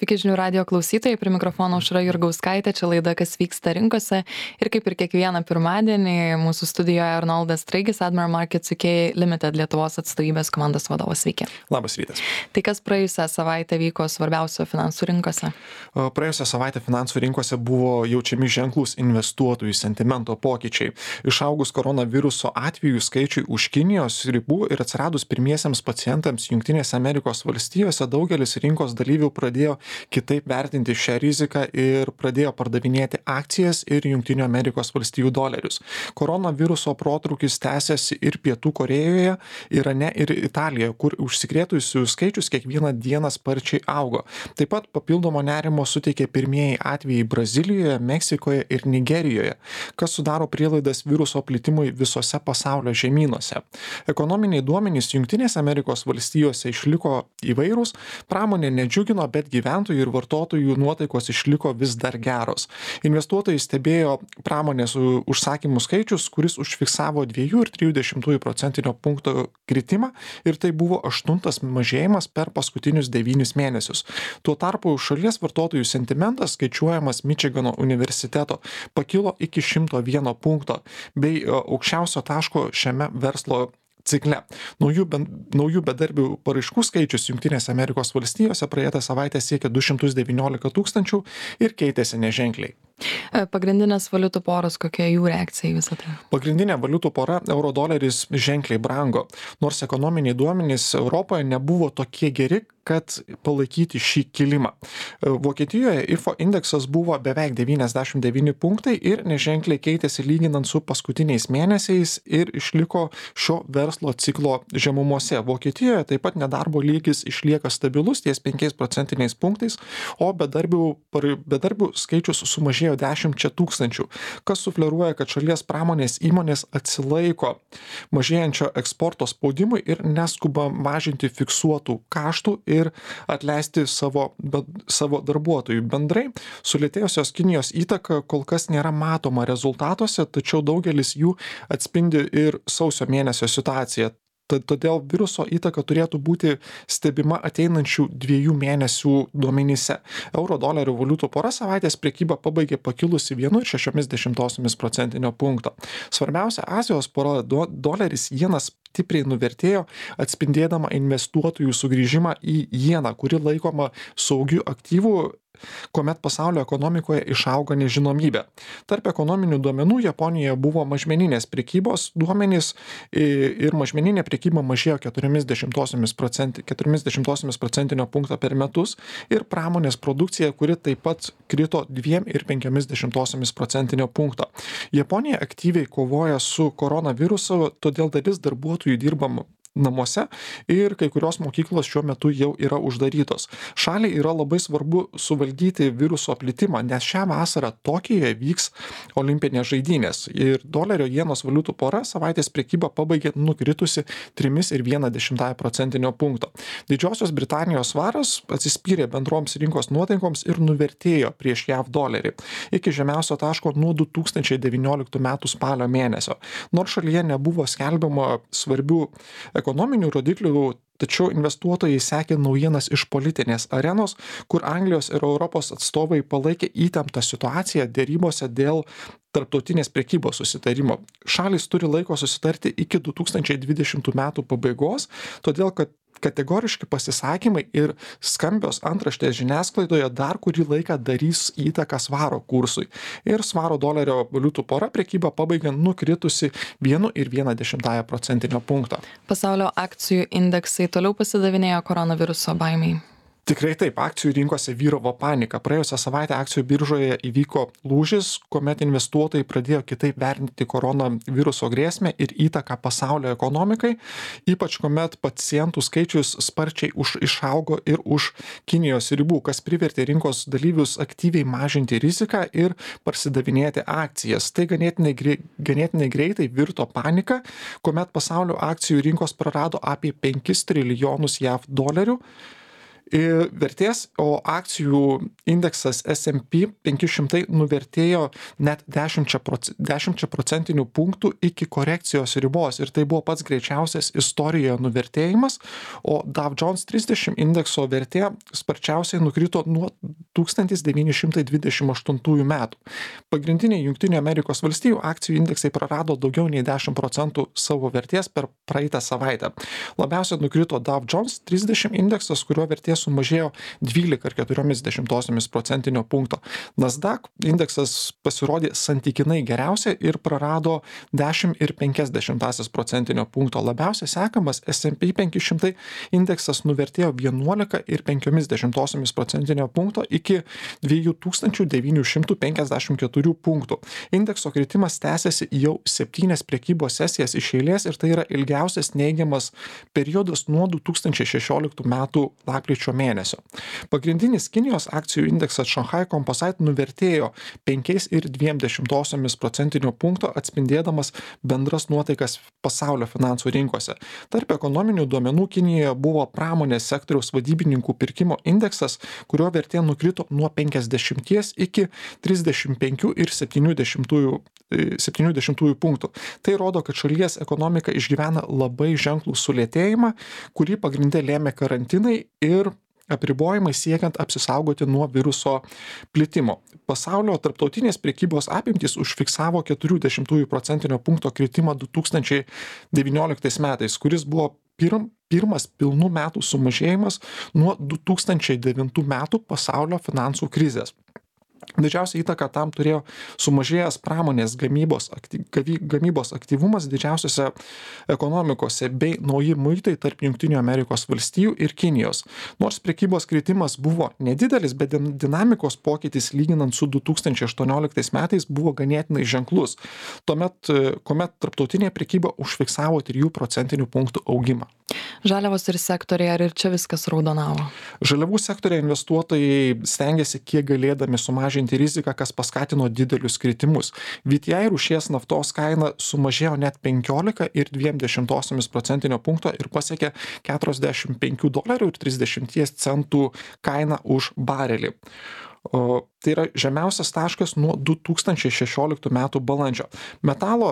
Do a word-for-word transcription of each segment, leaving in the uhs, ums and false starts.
Sveiki žinių radio klausytojai, prie mikrofono Aušra Jurgauskaitė, čia laida Kas vyksta rinkose ir kaip ir kiekvieną pirmadienį mūsų studijoje Arnoldas Straigis, Admiral Markets U K Limited Lietuvos atstovybės komandos vadovas. Sveiki. Labas rytas. Tai kas praėjusią savaitę vyko svarbiausio finansų rinkose? Praėjusią savaitę finansų rinkose buvo jaučiami ženklūs investuotojų sentimento pokyčiai. Išaugus koronaviruso atvejų skaičiui už Kinijos ribų ir atsiradus pirmiesiems pacientams Jungtinėse Amerikos valstijose, daugelis rinkos dalyvių pradėjo kitaip vertinti šią riziką ir pradėjo pardavinėti akcijas ir Jungtinių Amerikos valstijų dolerius. Koronaviruso protrūkis tęsiasi ir Pietų Korėjoje, Irane ir Italijoje, kur užsikrėtusių skaičius kiekvieną dieną sparčiai augo. Taip pat papildomo nerimo suteikė pirmieji atvejai Brazilijoje, Meksikoje ir Nigerijoje, kas sudaro prielaidas viruso plitimui visose pasaulio žemynuose. Ekonominiai duomenys Jungtinėse Amerikos valstijose išliko įvairūs, pramonė nedžiugino, bet gyventojų ir vartotojų nuotaikos išliko vis dar geros. Investuotojai stebėjo pramonės užsakymų skaičius, kuris užfiksavo dvi ir tris dešimtųjų procentinio punkto kritimą ir tai buvo aštuntas mažėjimas per paskutinius devynis mėnesius. Tuo tarpu šalies vartotojų sentimentas, skaičiuojamas Mičigano universiteto, pakilo iki šimto vieno punkto bei aukščiausio taško šiame verslo cikle. Naujų, ben, naujų bedarbių paraiškų skaičius Jungtinėse Amerikos valstijose praeitą savaitę siekė du šimtus devyniolika tūkstančių ir keitėsi neženkliai. Pagrindinės valiutų poros, kokia jų reakcija į visą tai? Pagrindinė valiutų pora euro doleris ženkliai brango, nors ekonominiai duomenys Europoje nebuvo tokie geri, kad palaikyti šį kilimą. Vokietijoje I F O indeksas buvo beveik devyniasdešimt devyni punktai ir neženkliai keitėsi lyginant su paskutiniais mėnesiais ir išliko šio verslo ciklo žemumose. Vokietijoje taip pat nedarbo lygis išlieka stabilus ties penkiais procentiniais punktais, o bedarbių, bedarbių skaičius sumažėjo dešimčia tūkstančių, kas sufleruoja, kad šalies pramonės įmonės atsilaiko mažėjančio eksporto spaudimui ir neskuba mažinti fiksuotų kaštų ir atleisti savo, savo darbuotojų. Bendrai, sulėtėjusios Kinijos įtaka kol kas nėra matoma rezultatuose, tačiau daugelis jų atspindi ir sausio mėnesio situaciją. Todėl viruso įtaka turėtų būti stebima ateinančių dviejų mėnesių duomenyse. Euro dolerio valiutų pora savaitės prekybą pabaigė pakilusi vienu ir šešiomis dešimtosiomis procentinio punkto. Svarbiausia Azijos pora do, doleris jenas stipriai nuvertėjo, atspindėdama investuotojų sugrįžimą į jeną, kuri laikoma saugiu aktyvu, kuomet pasaulio ekonomikoje išauga nežinomybė. Tarp ekonominių duomenų Japonijoje buvo mažmeninės prekybos duomenys ir mažmeninė prekyba mažėjo keturiomis dešimtosiomis procentinio punkto per metus ir pramonės produkcija, kuri taip pat krito dviem ir penkiomis dešimtosiomis procentinio punkto. Japonija aktyviai kovoja su koronavirusu, todėl dalis darbuotojų dirba namuose ir kai kurios mokyklos šiuo metu jau yra uždarytos. Šaliai yra labai svarbu suvaldyti viruso plitimą, nes šią vasarą Tokijoje vyks olimpinės žaidynės ir dolerio jenos valiutų pora savaitės prekybą pabaigė nukritusi trimis ir viena dešimtąja procentinio punkto. Didžiosios Britanijos svaras atsispyrė bendroms rinkos nuotaikoms ir nuvertėjo prieš J A V dolerį iki žemiausio taško nuo du tūkstančiai devynioliktų metų spalio mėnesio. Nors šalyje nebuvo skelbiama svarbių ekonominių rodiklių, tačiau investuotojai sekė naujienas iš politinės arenos, kur Anglijos ir Europos atstovai palaikė įtemptą situaciją dėrybose dėl tarptautinės prekybos susitarimo. Šalys turi laiko susitarti iki du tūkstančiai dvidešimtų metų pabaigos, todėl kad kategoriški pasisakymai ir skambios antraštės žiniasklaidoje dar kurį laiką darys įtaką svaro kursui. Ir svaro dolerio valiutų pora prekybą pabaigė nukritusi vienu ir viena dešimtąja procentinio punkto. Pasaulio akcijų indeksai toliau pasidavinėjo koronaviruso baimiai. Tikrai taip, akcijų rinkose vyravo panika. Praėjusią savaitę akcijų biržoje įvyko lūžis, kuomet investuotojai pradėjo kitaip vertinti koronaviruso grėsmę ir įtaką pasaulio ekonomikai, ypač kuomet pacientų skaičius sparčiai už, išaugo ir už Kinijos ribų, kas privertė rinkos dalyvius aktyviai mažinti riziką ir parsidavinėti akcijas. Tai ganėtinai, ganėtinai greitai virto panika, kuomet pasaulio akcijų rinkos prarado apie penkis trilijonus J A V dolerių. Ir vertės, o akcijų indeksas S and P penki šimtai nuvertėjo net dešimčia procentinių punktų iki korekcijos ribos ir tai buvo pats greičiausias istorijoje nuvertėjimas, o Dow Jones trisdešim indekso vertė sparčiausiai nukrito nuo tūkstantis devyni šimtai dvidešim aštuntųjų metų. Pagrindiniai Jungtinių Amerikos valstijų akcijų indeksai prarado daugiau nei dešimt procentų savo vertės per praeitą savaitę. Labiausiai nukrito Dow Jones trisdešim indeksas, kurio vertė sumažėjo dvylika ir keturios dešimtosios procentinio punkto. Nasdaq indeksas pasirodė santykinai geriausia ir prarado dešimt ir penkias dešimtąsias procentinio punkto. Labiausiai sekamas S and P penki šimtai indeksas nuvertėjo vienuolika ir penkias dešimtosios procentinio punkto iki dviejų tūkstančių devynių šimtų penkiasdešimt keturių punktų. Indekso kritimas tęsiasi jau septynias prekybos sesijas iš eilės ir tai yra ilgiausias neigiamas periodas nuo du tūkstančiai šešioliktų metų lapkričio mėnesio. Pagrindinis Kinijos akcijų indeksas Shanghai Composite nuvertėjo penkias ir dviem dešimtosiomis procentinio punkto, atspindėdamas bendras nuotaikas pasaulio finansų rinkose. Tarp ekonominių duomenų Kinijoje buvo pramonės sektoriaus vadybininkų pirkimo indeksas, kurio vertė nukrito nuo penkiasdešimties iki trisdešimt penkių ir septynių dešimtųjų punktų. Tai rodo, kad šalies ekonomika išgyvena labai ženklų sulėtėjimą, kurį pagrinde lėmė karantinai ir apribojimai siekiant apsisaugoti nuo viruso plitimo. Pasaulio tarptautinės prekybos apimtys užfiksavo keturių dešimtųjų procentinio punkto kritimą du tūkstančiai devynioliktais metais, kuris buvo pirm, pirmas pilnų metų sumažėjimas nuo du tūkstančiai devintų metų pasaulio finansų krizės. Didžiausia įtaka tam turėjo sumažėjęs pramonės gamybos, aktyv, gamybos aktyvumas didžiausiose ekonomikose bei nauji muitai tarp Jungtinių Amerikos valstijų ir Kinijos. Nors prekybos kritimas buvo nedidelis, bet dinamikos pokytis lyginant su du tūkstančiai aštuonioliktais metais buvo ganėtinai ženklus. Tuomet, kuomet tarptautinė prekyba užfiksavo trijų procentinių punktų augimą. Žaliavos ir sektoriai, ar ir čia viskas raudonavo? Žaliavų sektoriai investuotojai stengiasi kiek galėdami sumažinti riziką, kas paskatino didelius kritimus. V T I rūšies naftos kaina sumažėjo net penkiolika ir dviem dešimtosiomis procentinio punkto ir pasiekė keturiasdešimt penkių dolerių ir trisdešimt centų kainą už barelį. O, tai yra žemiausias taškas nuo du tūkstančiai šešioliktų metų balandžio. Metalo,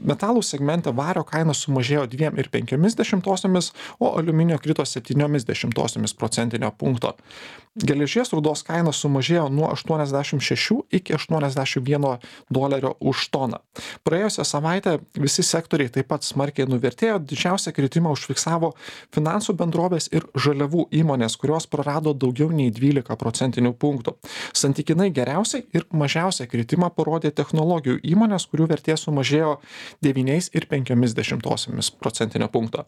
metalų segmente vario kaina sumažėjo dviem ir penkiomis dešimtosiomis, o aliuminio krito septyniomis dešimtosiomis procentinio punkto. Geležies rūdos kaina sumažėjo nuo aštuoniasdešimt šešių iki aštuoniasdešimt vieno dolerio už toną. Praėjusią savaitę visi sektoriai taip pat smarkiai nuvertėjo, didžiausią kritimą užfiksavo finansų bendrovės ir žaliavų įmonės, kurios prarado daugiau nei dvylika procentinių punktų. Santykinai geriausiai ir mažiausią kritimą parodė technologijų įmonės, kurių vertė sumažėjo devyniais ir penkiomis dešimtosiomis procentinio punkto.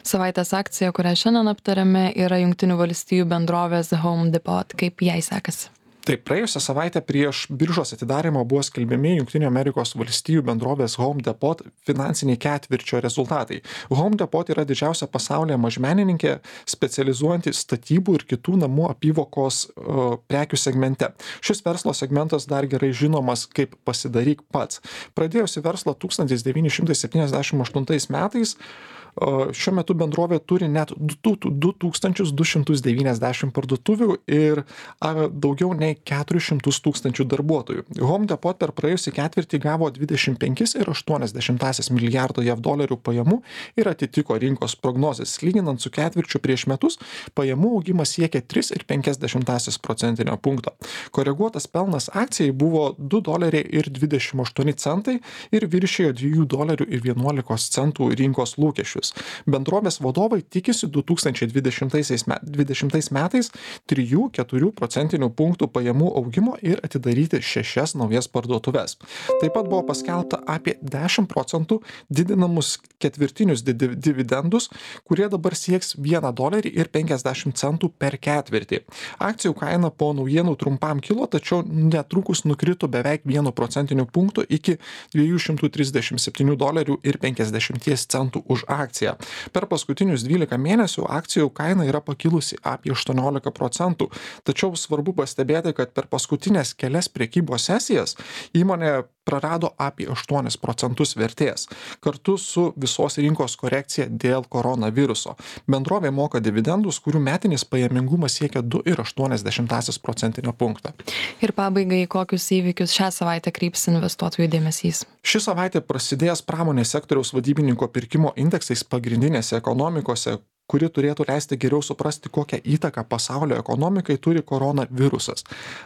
Savaitės akcija, kurią šiandien aptarėme, yra Jungtinių valstijų bendrovės Home Depot. Kaip jai sekasi? Taip, praėjusią savaitę prieš biržos atidarymą buvo skelbiami Jungtinių Amerikos valstijų bendrovės Home Depot finansiniai ketvirčio rezultatai. Home Depot yra didžiausia pasaulyje mažmenininkė, specializuojanti statybų ir kitų namų apyvokos uh, prekių segmente. Šis verslo segmentas dar gerai žinomas kaip pasidaryk pats. Pradėjusi verslą tūkstantis devyni šimtai septyniasdešimt aštuntais metais, šiuo metu bendrovė turi net du tūkstančius du šimtus devyniasdešimt parduotuvių ir daugiau nei keturis šimtus tūkstančių darbuotojų. Home Depot per praėjusį ketvirtį gavo dvidešimt penkis ir aštuonias dešimtąsias milijardo jav dolerių pajamų ir atitiko rinkos prognozes. Lyginant su ketvirčiu prieš metus, pajamų augimas siekė tris ir penkias dešimtąsias procentinio punkto. Koreguotas pelnas akcijai buvo du doleriai ir dvidešimt aštuoni centai ir viršijo dviejų dolerių ir vienuolikos centų rinkos lūkesčius. Bendrovės vadovai tikisi du tūkstančiai dvidešimtais metais trijų iki keturių procentinių punktų pajamų augimo ir atidaryti šešias naujas parduotuves. Taip pat buvo paskelbta apie dešimt procentų didinamus ketvirtinius dividendus, kurie dabar sieks vieną dolerį ir penkiasdešimt centų per ketvirtį. Akcijų kaina po naujienų trumpam kilo, tačiau netrukus nukrito beveik vienu procentiniu punktu iki dviejų šimtų trisdešimt septynių dolerių ir penkiasdešimt centų už akciją. Per paskutinius dvylika mėnesių akcijų kaina yra pakilusi apie aštuoniolika procentų, tačiau svarbu pastebėti, kad per paskutinės kelias prekybos sesijas įmonė prarado apie aštuonis procentus vertės, kartu su visos rinkos korekcija dėl koronaviruso. Bendrovė moka dividendus, kurių metinis pajamingumas siekia du ir aštuonias dešimtąsias procentinio punkto. Ir pabaigai, kokius įvykius šią savaitę kryps investuotojų dėmesys? Ši savaitė prasidėjęs pramonės sektoriaus vadybininko pirkimo indeksais pagrindinėse ekonomikose, kuri turėtų leisti geriau suprasti, kokią įtaką pasaulio ekonomikai turi koronavirusas.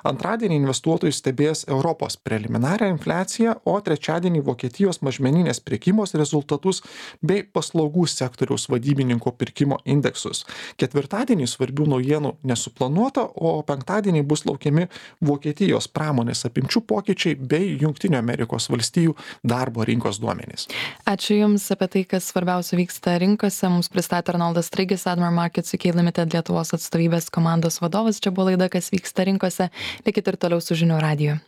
Antradienį investuotojai stebės Europos preliminarią infliaciją, o trečiadienį Vokietijos mažmeninės prekybos rezultatus bei paslaugų sektoriaus vadybininko pirkimo indeksus. Ketvirtadienį svarbių naujienų nesuplanuota, o penktadienį bus laukiami Vokietijos pramonės apimčių pokyčiai bei Jungtinių Amerikos valstijų darbo rinkos duomenys. Ačiū Jums apie tai, kas svarbiausia vyksta rinkose. Mums pristatė Arnoldas Straigis, Admiral Markets U K Limited Lietuvos atstovybės komandos vadovas. Čia buvo laida, kas vyksta rinkose. Likit ir toliau su žinių radiju.